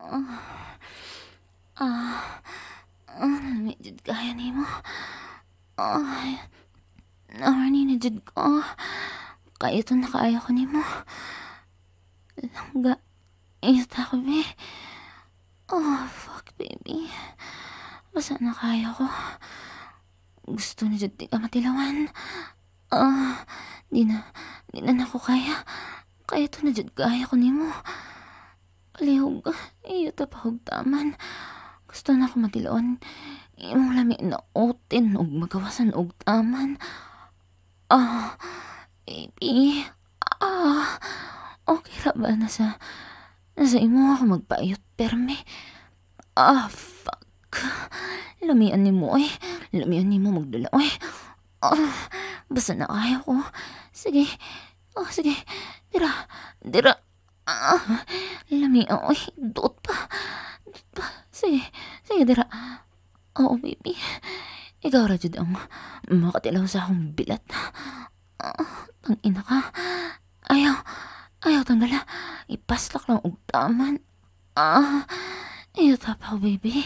Ah, ah, lami jud kaya nimo. Ay, horny na jud ko. Kaya to na kaayo ko nimo. Langga, ita ko, be. Oh, fuck, baby. Basta na kaya ko. Gusto na jud di ka matilawan. Ah, di na nako kaya. Kaya to na jud kaya ko nimo. Palihog, iyo ta pa og taman. Gusto na ako matilawan. Imong lami na otin og magawasan og taman. Ah, baby. Ah, okay ra ba nasa imo ako magpaayot perme? Ah, fuck. Lamian nimo oy. Lamian nimo magdala oy. Ah, basta na kaya ko. Sige. Oh, sige. Dira. Dira. Ah, lami oy. Duot pa. Duot pa. Sige. Sige, dira. Oo, baby. Ikaw ra jud ang makatilaw sa akong bilat. Ah, tang ina ka. Ayaw. Ayaw tanggala. Ipaslak lang og taman. Ah, iyo tapaw, baby.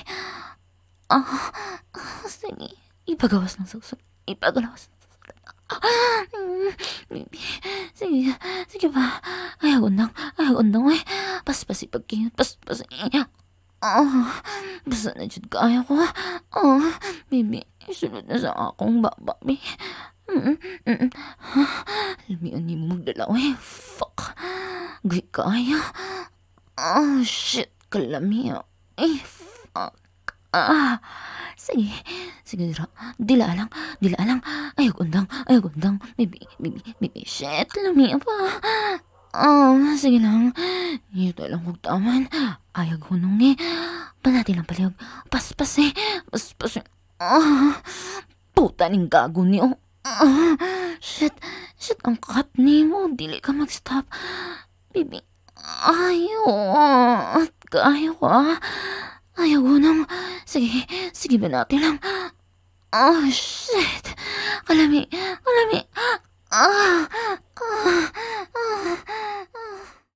Ah, ah, sige. Ipagawas ng susod. Ipagawas ng susod. Ah, baby. Sige, sige ba. Ayaw undang. Ayaw undang, eh. Paspas ipagkiyot. Paspas. Ah, basta na jud kaya ko. Ah, baby, isulod na sa akong baba, baby. Lamian nimo magdala, eh. Fuck. Guy kaya. Oh, shit. Kalami. Eh, fuck. Ah, sige. Sige, dira. Dila lang. Dila lang. Ayaw undang. Ayaw undang. Baby, baby, baby. Shit. Lami pa. Ah, sige lang. Ito lang kog taman. Ayaw hunong eh. Panati lang palihog. Paspas eh. Paspas eh. Ah, puta ning gago niyo. Ah, shit. Shit, ang cut nimo. Dili ka mag-stop. Baby, ayaw. Ayaw ko ah. Ayaw hunong. Sige, sige ba natin lang. Oh, shit. Kalami, kalami. Ah, ah, ah.